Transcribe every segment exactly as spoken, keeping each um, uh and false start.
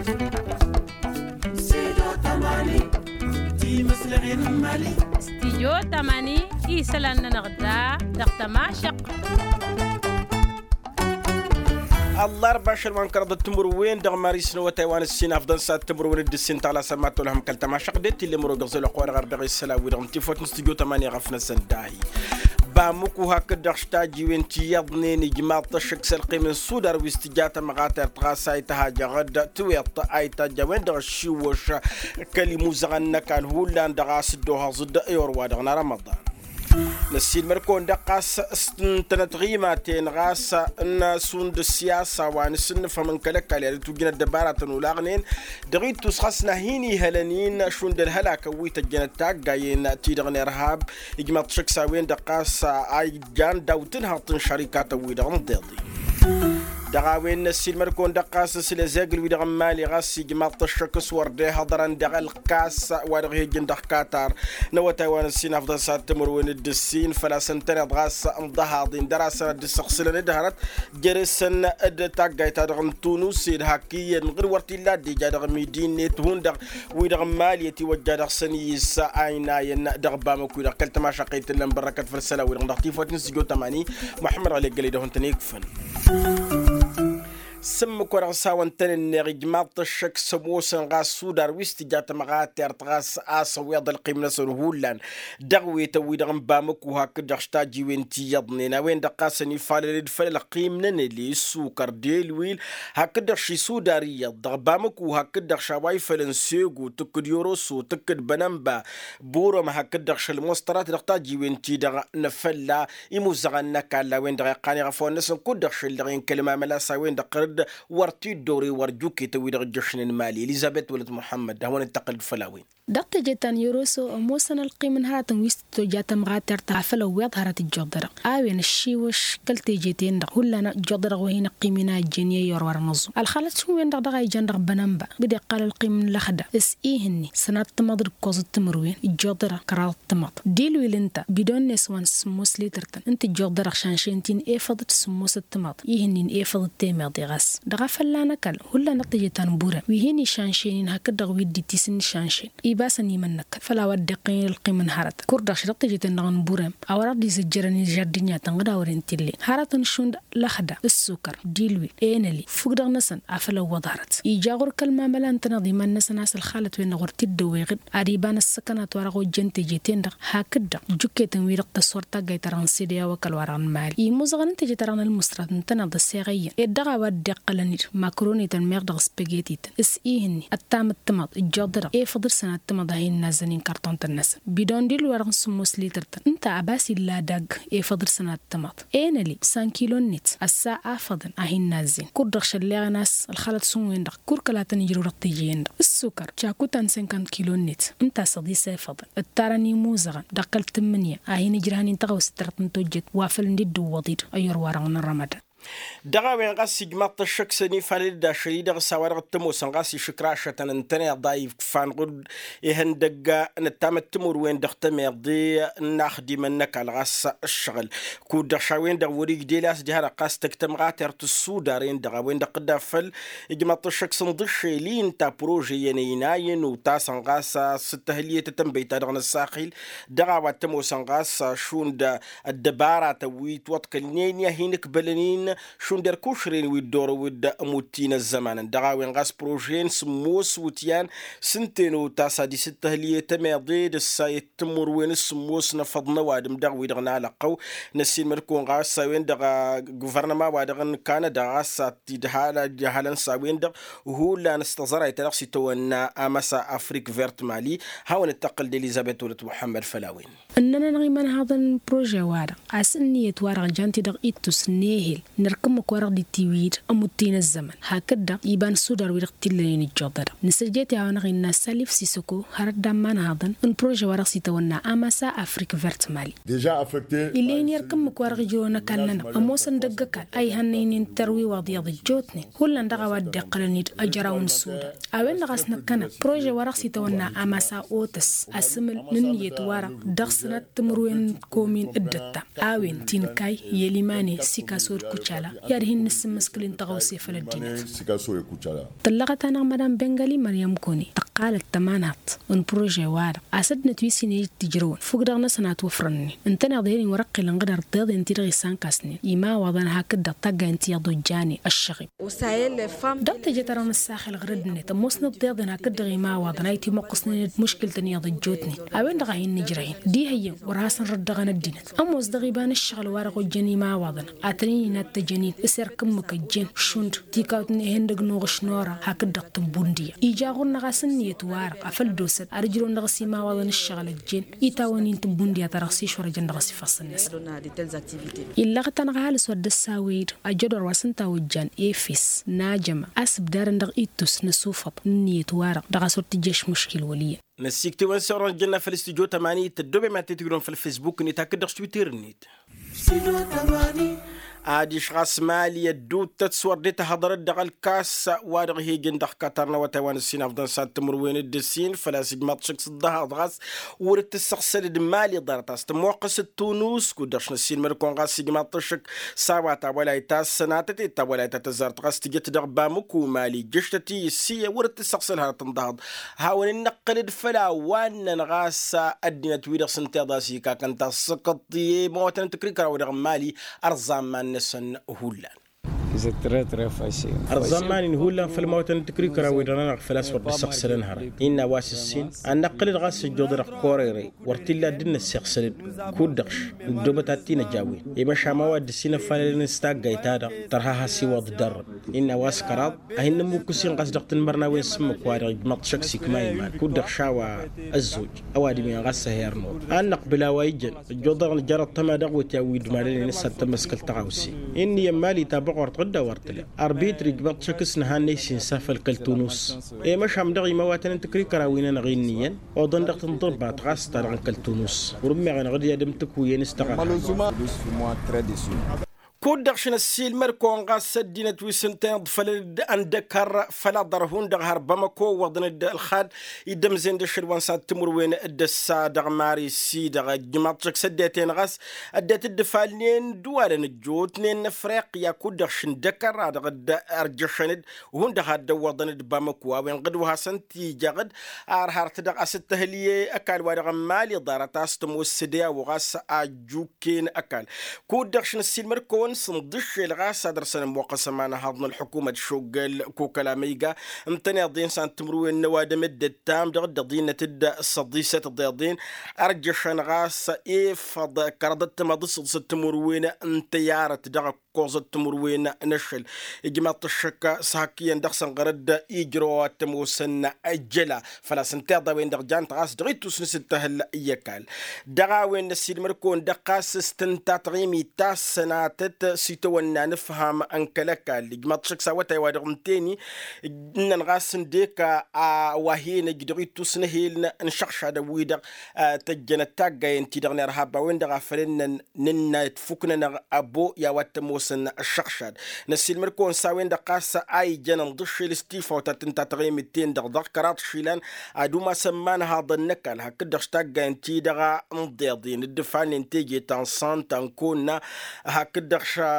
Stijyo tamani isălan-nănăɣ da dăɣ-tămašăqt. Ăllarba ašăl wa n-kăraḍăt timǝrwen dăɣ-maris n-awătay wa n-ǝssin afḍăn s-ad-timǝrwen d-ǝssin tăɣlasăn ma tolhăm kăl-tămašăqt d-e t-illa imǝrwăgăẓ elăqq wa dăɣ-ar dăɣ-e s-sălan-wi-dăɣ n-tifăt n-stijyo tamani ɣăf-năsăn dahi. Bamǝku hakd-dăɣ s-tajiwen ti iyyăḍnen ijmaḍ-t ăššăk s-ălqim n-sudar wi s-tǝja tămɣatert ɣas a ităhajăɣ-dd tiweḍt a itajj a-wen-dăɣ ăššiwwăš kăl-imuzăɣăn n-ăkall hullan dăɣ-a-s dd-ohăẓ-dd i-orwa-dăɣ n-arămăḍan. Năssiilmăr-kăwăn-dăɣ ɣas s-tǝntănăt ɣimaten ɣas n-šund ăssiyasa wa n-asǝnnǝfhăm n-kăl-ăkall i-ad-dd-tujjǝn ăddăbaratăn olaɣnen dăɣ-ittus ɣas n-ad-hin-ihălăn-in šund ălhălakăn wi tăjjănăt taggayen-ti-dăɣ n-irhab. Ijmaḍ-t šăkk s-a-wen-dăɣ ɣas a ijjan daw-tǝnhăḍt n-šărikatăn-wi-dăɣ n-iḍeḍen. Dăɣ-a-wen n-ăssiilmăr-kăwăn-dăɣ ɣas s-lăzegǝl-wi-dăɣ n-imali ɣas ijmaḍ-t ăššăk s-wăr dd-ihăḍărăn dăɣ-ălkas wa dăɣ-hi-ăjjǝn dăɣ-katar n-awătay wa n-ǝssin afḍăn s-ad-timǝrwen d-ǝssin făl-a-s ǝntăneḍ ɣas n-iḍahaḍen dăr-a-s ad-dd-săɣsǝlăn d-hărăt jere-săn d-taggayt-ta-dăɣ n-tunus ed hak iyyăn ɣǝr wăr t-illa dd-ija dăɣ-midinnet hundăɣ wi-dăɣ n-mali ătiwăjja dăɣ-săn iyyǝs a inayăn dăɣ-bamăkwi-dăɣ kăl-tămašăqqet tǝllăn bărrăkăt făll-isălan-wi-dăɣ dăɣ-tifăt n-sǝjo tămani. Muḥămmăd ɣăli ăggălăy dăɣ-hǝntăn ikfăn. S-ǝmmǝk wa dăɣ-s hawăn-tăn-ǝnneɣ ijmaḍ-t ăššăk s-ămoosăn ɣas sudar wi s-tǝja tămɣatert ɣas a-s ăwweḍ ălqim-năsăn hullan dăɣ-wetăn-wi-dăɣ n-bamăku hakd-dăɣ s-tajiwen ti iyyăḍnen a-wen-dăɣ ɣas ănifalăl-dd făll-ălqim n-enăli ăssukăr d-elwil hakd-dăɣ ši sudar iyyăḍ dăɣ-bamăku hakd-dăɣ š-a-wa ifălăn sego tǝkkǝd yoroso tǝkkǝd bănănba burăm hakd-dăɣ šăl mostărat dăɣ-tajiwen-ti-dăɣ n-afălla imuzăɣăn n-ăkall a-wen-dăɣ iqqan iɣăfăwăn-năsăn kud-dăɣ šăl dăɣ-i n-kăl-mamăla s-a-wen-dăɣ ɣăr-dd wăr t-dd-ore wăr juketăn wi-dăɣ ǝjjăšnen mali elizăbet wălăt muḥămmăd d-ad-hawăn-dd-tăqqǝlăd făll-a-wen. Dăɣ-teje ta n-yoroso ămoosăn ălqim n-hărătăn wi s-tǝttoja tămɣatert afăl ăwweḍ hărăt ǝjjuḍărăɣ a-wen ăššiwăš kăl-teje-ten-dăɣ hullan ǝjjuḍărăɣ wa hin-ăqqim-in a ăjjeen i-ayyăr wăr-năẓum ălxalăt šund-wen-dăɣ dăɣ-a ijan dăɣ-bănănba bǝd-iqqal ălqim n-lăxda s-ihǝnni sănat timăḍ d-ǝkkoẓăt timǝrwen ǝjjuḍărăɣ kăraḍăt timăḍ d-ilwil ǝnta bidon-net wa n-sǝmmos lităr-tăn ǝnta ǝjjuḍărăɣ šanšen ti n-efăḍăt sǝmmosăt timăḍ ihǝnnin efăḍăt temeḍe ɣas dăɣ-afălla n-ăkall hullan dăɣ-teje ta n-burem wi hin-išanšen-in hakd-dăɣ wi dd-itisǝnšanšen ibasăn imănnăkăn făll-a-wa dd-iqqăyăn ălqim n-hărătăn kur-dăɣ ši dăɣ-teje-ten-dăɣ n-burem a wăr-dăɣ d-izăjjărăn ižardǝnyatăn ɣǝd a wăren t-illen hărătăn šund lăxda ǝssukăr d-ilwil enăli fukk-dăɣ-năsăn afăl ăwwăḍ hărăt ija ɣur-kăl-mamăla ǝntăneḍ iman-năsăn a-s ălxalăt-wen-dăɣ wăr t-dd-ăwweɣ-dd ad-iba n-ăssăkănat wa dăɣ-ojjăn teje-ten-dăɣ hakd-dăɣ juketăn-wi-dăɣ tăswăr taggayt-ta-dăɣ n-sede a-wa kăl-wa-dăɣ n-mali imuzăɣăn n-teje-ta-dăɣ n-ălmǝsrat ǝntăneḍ ăseɣăyyăn ed dăɣ-a-wa dd-iqqălăn-dd makronităn meɣ dăɣ-spăgetităn s-ihǝnni ăttam d-timăḍ ǝjjuḍărăɣ efăḍ d-sănat timăḍ a hin-nazzăn inkarṭuntăn-năsăn bidon d-ilwărăɣ n-sǝmmos lităr-tăn ǝnta ăbas illa adagg efăḍ d-sănat timăḍ enăli san kilo-net ăssa afăḍăn a hin-nazzin kur-dăɣ šălleɣăn a-s ălxalăt šund-wen-dăɣ kur kăla tăn-ijrăw dăɣ-teje-en-dăɣ ǝssukăr cakutan sinkant kilo-net ǝnta a-s ăḍis efăḍăn ǝttarăn imuzăɣăn dăɣ-kăl-tǝmmǝnǝya a hin-ǝjrăhăn-in tăɣawse-t-dăɣ tăn-tojjet wa făl n-dd-ǝwwăḍ-dd ăyyăr-wa-dăɣ n-rămădan. Dăɣ-a-wen ɣas ijmaḍ-t ăššăk s-ănifalăl-dd ašăl-i-dăɣ s-a-wa dăɣ-t-ămoosăn ɣas išǝkrašătăn ǝntăneḍ a ifkǝfan ɣur-dd ihăndăgg n-ăttamăt timǝrwen dăɣ-tămeḍe n-inaxdimăn n-ăkall ɣas ǝššăɣǝl kud-dăɣ š-a-wen-dăɣ wăr-ijde ila a-s diha-dăɣ ɣas tăgg tămɣatert s-sudar-en-dăɣ a-wen-dăɣ tǝdda făll-ijmaḍ-t ăššăk s-ǝnḍǝššel-i ǝnta prože-yăn ăynayăn otasăn ɣas s-tăhǝlyet tătănbăyt-ta-dăɣ n-ăssaxil dăɣ-a-wa t-ămoosăn ɣas šund ăddăbaratăn wi ǝtwăḍkălnen i-ad-hin-ǝkbălăn-in šund ărkušren wi dd-orăw d-ămutti n-ăzzăman-en dăɣ-a-wen ɣas prože n-sǝmmos wǝtyan s-ǝnta enotas ad-isǝttăhǝlye tămeḍe d-ăssayăt timǝrwen s-sǝmmos n-efăḍ n-ăwadǝm dăɣ-wi-dăɣ n-alăqqăw. Năssiinmăr-kăwăn ɣas a-wen-dăɣ guvărnăma-wa-dăɣ n-kanăda ɣas a t-dd-halăn s-a-wen-dăɣ hullan s-tăẓrayt ta dăɣ-s itawănna amăsa afrik vert mali. Hawăn-dd-tăqqǝl d-elizăbet wălăt muḥămmăd făll-a-wen. Ǝnnăn-anăɣ imănhaḍăn n-prože-wa-dăɣ a-s ǝnniyăt-wa-dăɣ jan-t-dăɣ ittus n-ehel n-erk ǝmmǝk-wa-dăɣ dd-itiwǝy-dd ămutti n-ăzzăman hakd-dăɣ iba n-sudar wi-dăɣ t-illănen ǝjjuḍădăɣ nǝsǝjjet i-a-wa-dăɣ innă salif sisăko hărăt d-ammanhaḍăn n-prože-wa-dăɣ s-itawănna amăsa afrik vert mali. Ill'-e-hin erk ǝmmǝk-wa-dăɣ ijrăwăn ăkall-nănăɣ ămoosăn dăgg-ăkall a ihănnăynen tărwiwaḍ iyyăḍ ăjjootnen hullan dăɣ-a-wa dd-iqqălăn-dd ajăraw n-sudar. A-wen-dăɣ a-s năkkăneḍ prože-wa-dăɣ s-itawănna amăsa otas asǝmǝl n-ǝnniyăt-wa-dăɣ dăɣ-sănat timǝrwen n-komin d-ǝttam a-wen tinkay i-ălimane sikaso d-kuc. kucala i-ad-hin-nǝssǝmmǝskǝl-in tăɣawse făll-ăddinăt. Tăllăɣăt-anăɣ madam bengali măryăm kone tăqqalăt tămanhaḍt n-prože-wa-dăɣ a-s ăddinăt wi s-hin-ej tǝjrăwăn fukk dăɣ-năsăn a ătwăfrănnen. Ǝntăneḍ i-ad-hin-wăr-ăqqilăn ɣǝdar d-tiḍeḍen-ti-dăɣ isănkasnen imawaḍăn hakd-dăɣ taggayăn ti iyyăḍ ojjane ăššăɣib. Dăɣ-teje ta-dăɣ nǝssaxel ɣǝr-ăddinăt ămoosnăt tiḍeḍen hakd-dăɣ imawaḍăn a itimoqqǝsnen d-muškǝltăn iyyăḍ ăjjootnen. A-wen-dăɣ a hin-nǝjrăyăn d-ihăyyăn wăr hasăn-rǝddăɣăn ăddinăt ămoos dăɣ-iba n-ǝššăɣǝl wa-dăɣ ojjăn imawaḍăn ad-tăn-in-inattăjăn-in s-erk ǝmmǝk ăjjeen šund tikawt n-ehăndăg n-uɣǝš n-ora hakd-dăɣ tǝbbundǝya. Ija ɣur-năɣ a-s ǝnniyăt-wa-dăɣ a făl dd-osăt ad-ǝjrǝwăn dăɣ-s imawaḍăn ǝššăɣǝl ăjjeen itawăn-in tǝbbundǝya ta dăɣ-s išwărăjăn dăɣ-s ifassăn-năsăn. Illăɣăt-anăɣ ăhalǝs wa dd-ăssawăy-dd ajădor wa s-ǝnta ojjan efes n-ajăma a-s ǝbdadăn dăɣ-ittus n-asufăḍ n-ǝnniyăt-wa-dăɣ dăɣ-a-s wăr tǝjjăš muškil wăl' iyyăn. Năssiiktewăn s-orănjăn n-afăl stujo tămani tăddoobem ad-t-tǝjrǝwăn făll-fesbuk-net hakd dăɣ-s twitter-net. Adiš ɣas mali ădduuttăt s-wăr dd-tahăḍărăt dăɣ-ălkas wa dăɣ-hi-ijăn dăɣ-katar n-awătay wa n-ǝssin afḍăn s-ad-timǝrwen d-ǝssin făl-a-s ijmaḍ šăkk s-ǝḍḍăhaḍ ɣas wăr t-ǝssăɣsălăd mali ḍarăt a-s tămoqqăs d-tunus kud-dăɣ š-năssiilmăd-kăwăn ɣas ijmaḍ-t šăkk s-a-wa tawălayt ta s-sănatăt i-tawălayt ta tăzzarăt ɣas tǝjăt dăɣ-bamăku mali jăštăt-i ǝssiyăn wăr t-ǝssăɣsăl hărăt n-ḍahaḍ. Hawăn-in-năqqǝlăd făll-a-wa ǝnnăn ɣas ăddinăt-wi-dăɣ s-ǝnta i-ḍas ikakăn tasǝkăḍt i-imawătăn n-tǝkrikăraw-i-dăɣ n-mali ărẓamman-năsăn hullan. Ărẓamman-in hullan făll-imawătăn n-tǝkrikăraw-i-dăɣ-nănăɣ făl-a-s wăr dd-ǝssăɣsălăn hărăt innă a-wa s-ǝssin ad-năqqǝlăd ɣas ăjjoḍ-i-dăɣ korere wăr t-illa a dd-năssiɣsălăd. Kud-dăɣ š-nǝddobăt ad-t-in-ăj a-wen i-măšan ma wa dd-ǝssin ăfalălăn s-taggayt-ta-dăɣ tărha has-iwwăḍ dăr-dd. Innă a-wa s-kăraḍ ad-hin-nǝmmukkus-in ɣas dăɣ-tanmărnawen s-ǝmmǝk wa dăɣ-ijmăḍ šăkk s-ikma iman kud-dăɣ š-a-wa ăzzoj ăwadǝm-in ɣas ăher-năwăn. Ad-năqbǝl a-wa ijăn ăjjoḍ-dăɣ nǝjărrăḍ tăma dăɣ-wet i-a-wi dd-malănen s-ad-tămmăskăl tăɣawse. Inn'-iyyăn mali tabăɣort ɣǝdda wăr tǝla arbitr ijmăḍ šăkk s-nǝhannăy s-insa făll-kăl-tunus. I-măšan dăɣ-imawatăn n-tǝkrikăraw-i-nănăɣ inn'-iyyăn oḍăn dăɣ-tǝnḍǝrbat ɣas ta dăɣ-n kăl-tunus. Wăr-ǝmmeɣ-anăɣ d-i-ad-ǝmtǝkwǝyăn s-taɣărha. Kud-dăɣ š-năssiilmăd-kăwăn ɣas ăddinăt wi s-ǝntăneḍ făll-ăndăkăr făll-aḍăr hundăɣ har bamăko ǝwwăḍăn-dd ălxad. Iddămzen d-ašăl wa n-sad timǝrwen d-ăssa dăɣ-mari s-i-dăɣ ǝjmaḍ-t šăkk s-ăddinăt-en ɣas ăddinăt dd-ǝfalnen d-ǝwalăn ăjjootnen n-afriqya kud-dăɣ š-ǝndăkăr a dăɣ-dd-ărjăšăn-dd hundăɣ ad-dd-ăwwăḍăn d-bamăko a-wen ɣǝd wa hasăn-t-ijăɣ-dd. Ar hărăt dăɣ-asǝttăhǝl i-ăkall wa dăɣ-n mali ḍarăt a-s tămoos s-dd-i-a-wa ɣas ajjuk ken ăkall. Kud-dăɣ š-năssiilmăd-kăwăn s-inḍǝššel ɣas ad-dăr-săn ămmoqqăs ămanhăḍ n-ălḥukumăt šoggăl kokăl amăyga ǝntăneḍ-en s-ad-timǝrwen n-ăwadǝm d-ǝttam dăɣ-dd-ăḍinăt d-săḍisăt ḍeḍen. Ărjăšăn ɣas efăḍ kăraḍăt timaḍ d-săḍisăt timǝrwen n-tăyarăt dăɣ-ăkkoẓăt timǝrwen n-ašăl. Ijmaḍ-t ăššăk s-hak iyyăn dăɣ-săn ɣărăt ijrăw a-wa t-ămoosăn ăjjăla făl-a-s ǝnta iḍa-wen-dăɣ jan-t ɣas dăɣ-ittus n-asǝttăhǝl i-ăkall. Dăɣ-a-wen năssiilmăd-kăwăn-dăɣ ɣas s-tǝnta taɣimit ta s-sănatăt s-itawănna n-ǝfham n-kăl-ăkall ijmaḍ-t šăkk s-awătay wa dăɣ-ǝnteni. Ǝnnăn ɣas ǝndek a-wa hin-ăj dăɣ-ittus n-ehel n-išăɣšadăn-wi-dăɣ tăjjănăt taggayen-ti-dăɣ n-irhab a-wen-dăɣ a făl ǝnnăn nǝnna i-tafuk-nănăɣ ăbo i-a-wa t-ămoosăn ǝššăɣšad. Năssiilmăd-kăwăn s-a-wen-dăɣ ɣas a ijăn ǝnḍǝššel s-tifawt ta tǝnta taɣimit-ten-dăɣ dăɣ-kăraḍ išilan ad-umas ămmanhaḍăn n-ăkall hakd-dăɣ s-taggayen-ti-dăɣ n-iḍeḍen dd-ǝfalnen teje ta n-sant ta n-konna. Hakd-dăɣ ša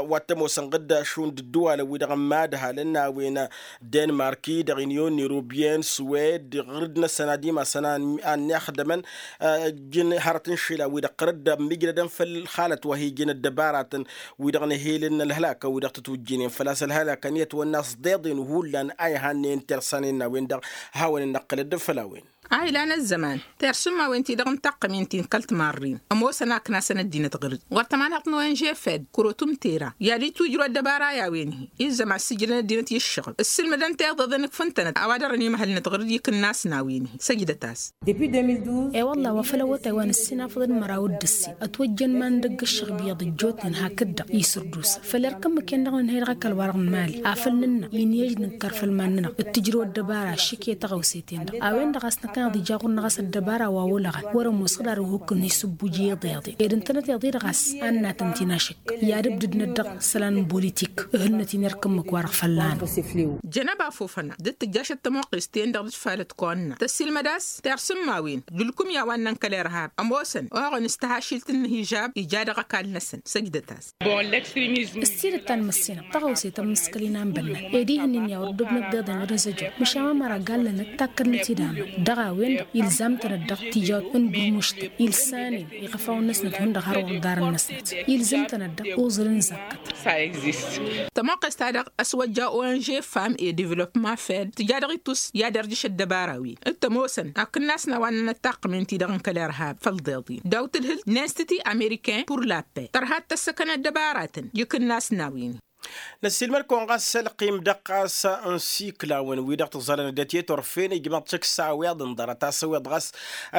wa t-ămoosăn ɣǝdda šund ǝddǝwalăn-wi-dăɣ n-imadhalăn n-a-wen denmarki dăɣ-inyon n-irubyen suwed ɣǝrǝd-năsăn ad-imasăn a ănnixdămăn. Ǝjjǝn hărăt n-išilan-wi-dăɣ ɣǝrǝd ămmijnădăn făll-xalăt wa hi-ijăn ăddăbaratăn wi-dăɣ n-ehel n-ălhălakăn wi-dăɣ tătwǝjjǝnen făl-a-s ălhălakăn i-ătwănna s-ḍeḍen hullan a ihannăyăn tersanen n-a-wen-dăɣ. Hawăn-in-năqqǝlăd făll-a-wen. A ilan ăzzăman tersǝmmawen-ti-dăɣ n-taqqămen-ti n-kăl-timarrin ămoosăn a ǝknasăn ăddinăt ɣǝr-dd wăr tămanhăḍt n-onžefed kărotum tera i-ad-itwǝjrǝw ăddăbara i-a-wen-hi. Izzăman sǝjrăn ăddinăt i-ǝššăɣǝl ǝssǝlmǝdăn tiḍeḍen ǝkfǝntănăt a-wa dăr-ănimhălnăt ɣǝr-dd i-kǝnnas n-a-wen-hi săjdăt-as. E-wălla wa făl awătay wa n-ǝssin afăḍăn măraw d-ǝssin ătwăjjăn iman dăgg-ǝššăɣb iyyăḍ ăjjootnen hakd-dăɣ isǝrdus făll-erk ǝmmǝk-en-dăɣ nǝnhăy dăɣ-ăkall-wa-dăɣ n-imali afăl nǝnnă inǝyăj nǝnkăr făll-iman-nănăɣ d-tǝjrǝw ăddăbara ašǝk i-taɣăwse-ten-dăɣ a-wen-dăɣ a-s năkk. Ad-ija ɣur-năɣ a-s ăddăbara wa olăɣăn wăr-ămoos ɣǝd ar ihukk n-isǝbbuj i-iḍeḍe ed ǝntănăt iḍeḍe ɣas ad-natăn-t-inašǝk i-ad-ǝbdǝdnăt dăɣ-isălan n-bolitik. Ǝhǝnnăt-in irkǝmmǝk-wa-dăɣ fălla-năɣ. Jănăba fofăna dd-tǝjjašăt tămoqqest-ten-dăɣ d-falăt kăwănna tăssiilmăd a-s tersǝmmawen d-ǝlkǝmya wa ǝnnăn kăl-irhab ămoosăn oɣăn s-tăhašilt n-ihijab ija dăɣ-ăkall-năsăn. Săjdăt-as. S-tidǝt ta n-măssinăɣ tăɣawse tămmǝskăl-in a n-bănnan ed ihǝnnin i-a wăr dd-obnăt d-iḍen ɣǝd ăzăjor măšan ma măra gallănăt takkălnăt-dd amăn dăɣ-a-wen-dăɣ ilzam-tănăt dăɣ-tijawt n-bǝrmuštăn ilsanen iɣăfawăn-năsnăt hundăɣ har wăr ḍarăn-năsnăt ilzǝm-tănăt dăɣ-uẓǝl n-zakkăt. Tămoqqest-ta-dăɣ ăswăjja ong fam e devălopma fed tǝja dăɣ-itus i-ad-irjǝš ăddăbara-wen d-tămoosăn akǝnnas n-a-wa ǝnnănăt taqqǝmen-ti-dăɣ n-kăl-irhab făll-iḍeḍen daw-tǝdhǝl n-institut americain pur la paix tărha d-tăssăkăn ăddăbaratăn i-ikǝnnas n-a-wen. Năssiilmăd-kăwăn ɣas ălqim dăɣ-ɣas n-isiklawăn-wi-dăɣ tǝẓẓalăn ăddinăt i-turfen ijmaḍ-t šăkk-s a-wiḍ ǝnḍărăt-as ăwiḍ ɣas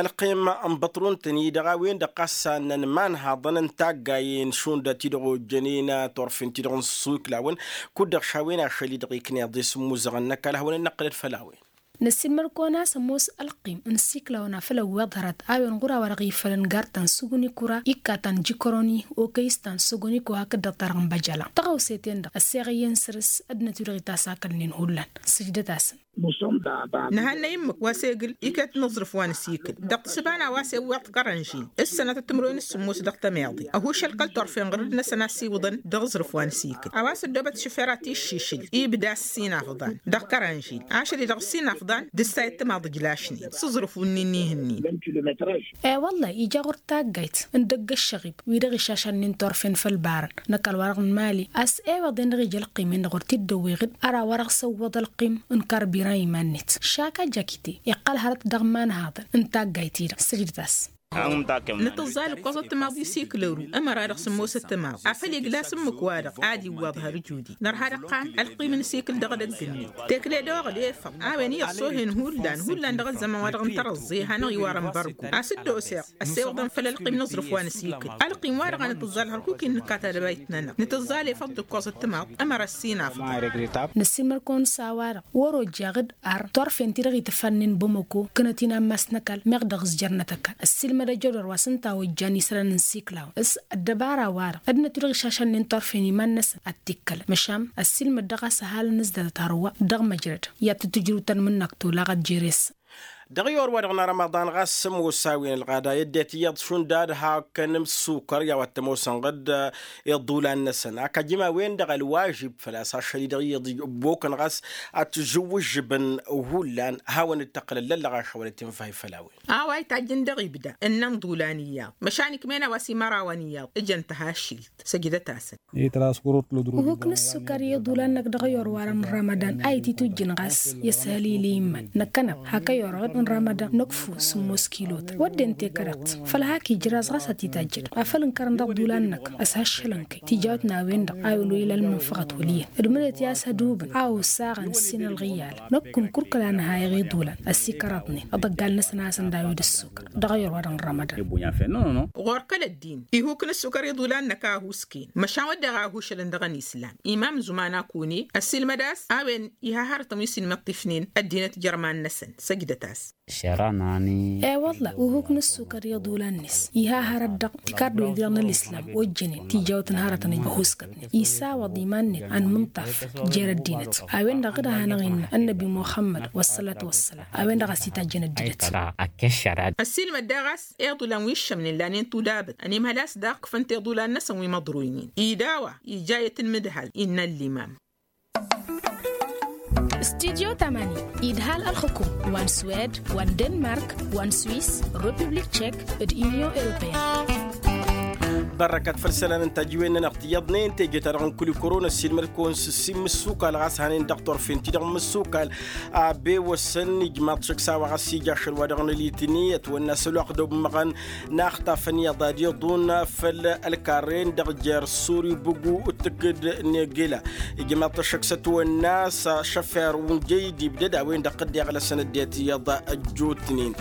ălqim n-băṭrun-tăn-i-dăɣ a-wen-dăɣ ɣas a ǝnnăn imanhaḍăn n-taggayen šund ti-dăɣ ojjănen turfen-ti-dăɣ n-isiklawăn kud-dăɣ šawen ašăl-i-dăɣ ikneḍ isǝmmuzăɣăn n-ăkall ad-hawăn-dd-năqqǝlăd făll-a-wen. Năssiilmăd-kăwăn a-s ămoos ălqim n-isiklawăn a făl ăwweḍ hărăt a-wen ɣur-a-wa-dăɣ ifălăn gartăn sugǝn ikura ikkatăn jikoroni okăyǝstan sugǝn iko hakd-dăɣ ta dăɣ-n băjăla tăɣawse-ten-dăɣ ăsseɣ iyyăn săr-s ăddinăt-wi-dăɣ itasakălnen hullan. Sǝjdăt-asăn. Nǝhannăy ǝmmǝk wa s-egǝl iket n-aẓrǝf wa n-asikǝl dăɣ-tǝssǝba n-a-wa s-ewweḍ kărănžil ǝssănătăt timǝrwen s-sǝmmos dăɣ-tămiḍe ăhušăl kăl-turfen ɣur-dd-năsăn a s-iwǝḍăn dăɣ-aẓrǝf wa n-asikǝl a-wa s-ăddoobăt šăfera tiššišǝl ibda s-sinafḍan dăɣ-kărănžil ašăl-i-dăɣ s-sinafḍan d-ǝssayăt timaḍ ǝjlašnen s-aẓrǝf wǝnnin n-ihǝnnin. E-wălla-hi ija ɣur-taggayt n-idăgg ăššăɣib wi-dăɣ išašănnen turfen făll-ibarăn n-ăkall-wa-dăɣ n-imali a-s eweḍ-en-dăɣ ija ălqim-en-dăɣ wăr t-dd-ăwweɣ-dd. Ar a-wa-dăɣ s-ăwwăḍ ălqim n-karbiran iman-net šaka jakite iqqăl hărăt dăɣ-imanhaḍăn n-taggayt-i-dăɣ sǝjdăt-as. Nǝtǝẓẓal ǝkkoẓăt timaḍ i-siklăru ămăra dăɣ-sǝmmosăt timaḍ afăl iglas ǝmmǝk-wa-dăɣ ad-iwwaḍ har ǝjudi nărha dăɣ-iqqan ălqim n-asikǝl dăɣ-edăgg-net tekle d-oɣlefăḍ a-wen iyyăḍ s-ohen hullan hullan dăɣ-ăzzăman wa dăɣ-n tărăẓẓe hanăɣ-iwar ănbărgo a-s dd-oseɣ ăssewăḍăn făll-ălqim n-aẓrǝf wa n-asikǝl ălqim wa-dăɣ a nǝtǝẓẓal hărkuk-in nǝkkat ad-ăbayt-nănăɣ nǝtǝẓẓal efăḍ d-ǝkkoẓăt timaḍ ămăra ăssinafăḍ. Năssiilmăd-kăwăn s-a-wa-dăɣ wăr-ojjaɣ-dd ar turfen-ti-dăɣ itǝffannen bămăko kănăt-in ammas n-ăkall meɣ dăɣ-s jărnăt ăkall ăssiilmăd ăjădor wa s-ǝnta a ojjan isălan n-siklaw s-ăddăbara-wa-dăɣ ăddinăt-wi-dăɣ išašănnen turfen iman-năsăn ad-t-ikkălăn măšan ăssiilmăd dăɣ-a-s ăhalăn s-datăt hărwa dăɣ-măjrăd i-ad-tǝtǝjrǝw tanmǝnnak tolaɣăt jere-s. Dăɣ-iyyăwăr-wa-dăɣ n-arămaḍan ɣas s-ămoos a-wen ălɣada i-ăddinăt iyyăḍ šund ad-hakăn imǝssukăr i-a-wa t-ămoosăn ɣǝd iḍulan-năsăn ak ajǝm a-wen-dăɣ ălwažib făl-a-s ašăl-i-dăɣ iyyăḍ ăbbokăn ɣas ad-t-žǝwwǝžžǝbăn hullan hawăn-dd-tăqqǝlăn lăllăɣaš a-wa dd-tinfay făll-a-wen. A-wa itajjăn dăɣ-ibda ǝnnăn iḍulan iyyăḍ măšan ikmen a-wa s-imărawăn iyyăḍ ǝjăn tăhašilt. Săjdăt-asăn. Uhuk n-ǝssukăr i-iḍulan-năk dăɣ-iyyăwăr-wa-dăɣ n-ramadan a ititujjǝn ɣas i-ăshăl ila iman năkkăneḍ hak ăyyăwăr-wa-dăɣ n-ramadan năkfu sǝmmos kilotăn wădden tekăreḍt făll-hak ijraẓ ɣas ad-t-itajjăd afăl ǝnkărăn dăɣ-iḍulan-năk ăshăššălăn-kăy tijawt n-a-wen-dăɣ a wăl-oyǝl ălmǝnfăɣăt wăl' iyyăn d-mǝnăt i-a-s ădubǝn a osaɣăn s-in ălɣǝyyalăn năkkun kurkǝl a nǝha i-iḍulan ăsikărăḍnen ăḍăggal-năsăn a hasăn-dd-awǝy d-ǝssukăr dăɣ-iyyăwăr-wa-dăɣ n-ramadan. Ɣur-kăl-ăddin ihuk n-ǝssukăr iḍulan-năk a ăhuusken măšan wădden a ăhuušălăn dăɣ-ănislam imam zuman akune ăssiilmăd a-s a-wen iha hărătăn wi s-inmăṭṭifnen ăddinăt jer-iman-năsăn. Săjdăt-as. I-wălla uhuk n-ǝssukăr i-iḍulan-net iha hărăt dăɣ-tikardwen-ti-dăɣ n-ălislam ojjănen tijawt n-hărătăn ăhuuskătnen isawăḍ iman-net anmǝnṭaf jer-ăddinăt a-wen-dăɣ dd-ad-hanăɣ-innă ănnăbi muxămmăd wăssălatu wăssălam a-wen-dăɣ a-s itajjăn ăddinăt. Ăssiilmăd daɣ a-s iḍulan wi ǝššămnen lanen tudabăt ănimhăl a-s daɣ ǝkfăn tiḍulan-năsăn wi măḍruynen ida a-wa ija i-tǝnmǝdhal innă ăllimam. Studyo tamani idhal ălxukum wa n-swed wa n-denmark wa n-swis, republik tšek, d-unyon europeyăn. Bărrăkăt făll-isălan n-tajǝwen-nănăɣ tiyyăḍnen teje-ta-dăɣ n-kulikuro n-ăssiilmăd-kăwăn s-ǝssin imǝssukal ɣas hanen dăɣ-turfen-ti-dăɣ n-imǝssukal. Abewăsăn ijmaḍ šăkk s-a-wa ɣas ija ašăl wa dăɣ-nălitni ătwănna s-ălwăqq d-ommăɣăn n-axtafăn iyyăḍ ad-iḍun făll-ălkarren dăɣ-jer-suri bǝgu d-tǝkkǝd n-egela. Ijmaḍ-t ăššăk s-ătwănna s-ašăfer unjăy d-ibdăd a-wen-dăɣ dd-iɣlăsăn ăddinăt iyyăḍ ăjjootnen.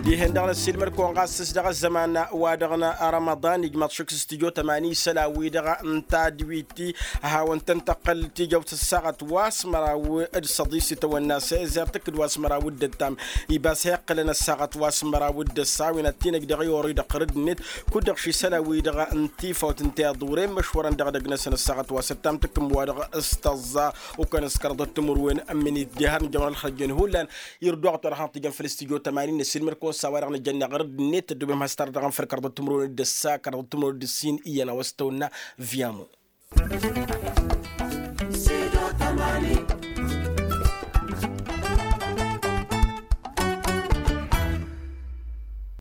Dihen-dăɣ năssiilmăd-kăwăn ɣas s-dăɣ-ăzzăman wa dăɣ-n ramaḍan ijmaḍ šăkk s-. Stujo tămani isălan-wi-dăɣ n-tadwit-ti a hawăn-tăn-tăqqăl tijăwt ăssaɣăt wa s-măraw d-săḍis itawănna s-ezer tǝkkǝd wa s-măraw d-ăttam. Ibas heqqălăn ăssaɣăt wa s-măraw d-ăssa a-wen ad-t-inăj dăɣ-i orăy dăɣ-tărǝd-net. Kud-dăɣ šisălan-wi-dăɣ n-tifawt n-tiḍuren măšwărăn dăɣ-edăgg-năsăn ăssaɣăt wa s-ăttam tǝkkǝm wa-dăɣ s-tăẓẓa. Ukăn s-kărḍăt timǝrwen n-minit diha har nǝjămăr ălxăjjen hullan. Irduɣăt wa dăɣ-hanăɣ-tijăn făll-studyo tămani n-ăssiilmăr-kăwăn s-a-wa-dăɣ nǝjănna ɣur-dd-net ăddoobem has-tarăt dăɣ-anfăl kărḍăt timǝrwen d-ăssa kărḍăt timǝrwen d-ǝssin iyyăn a-wa s-tăwănna. Viyamo.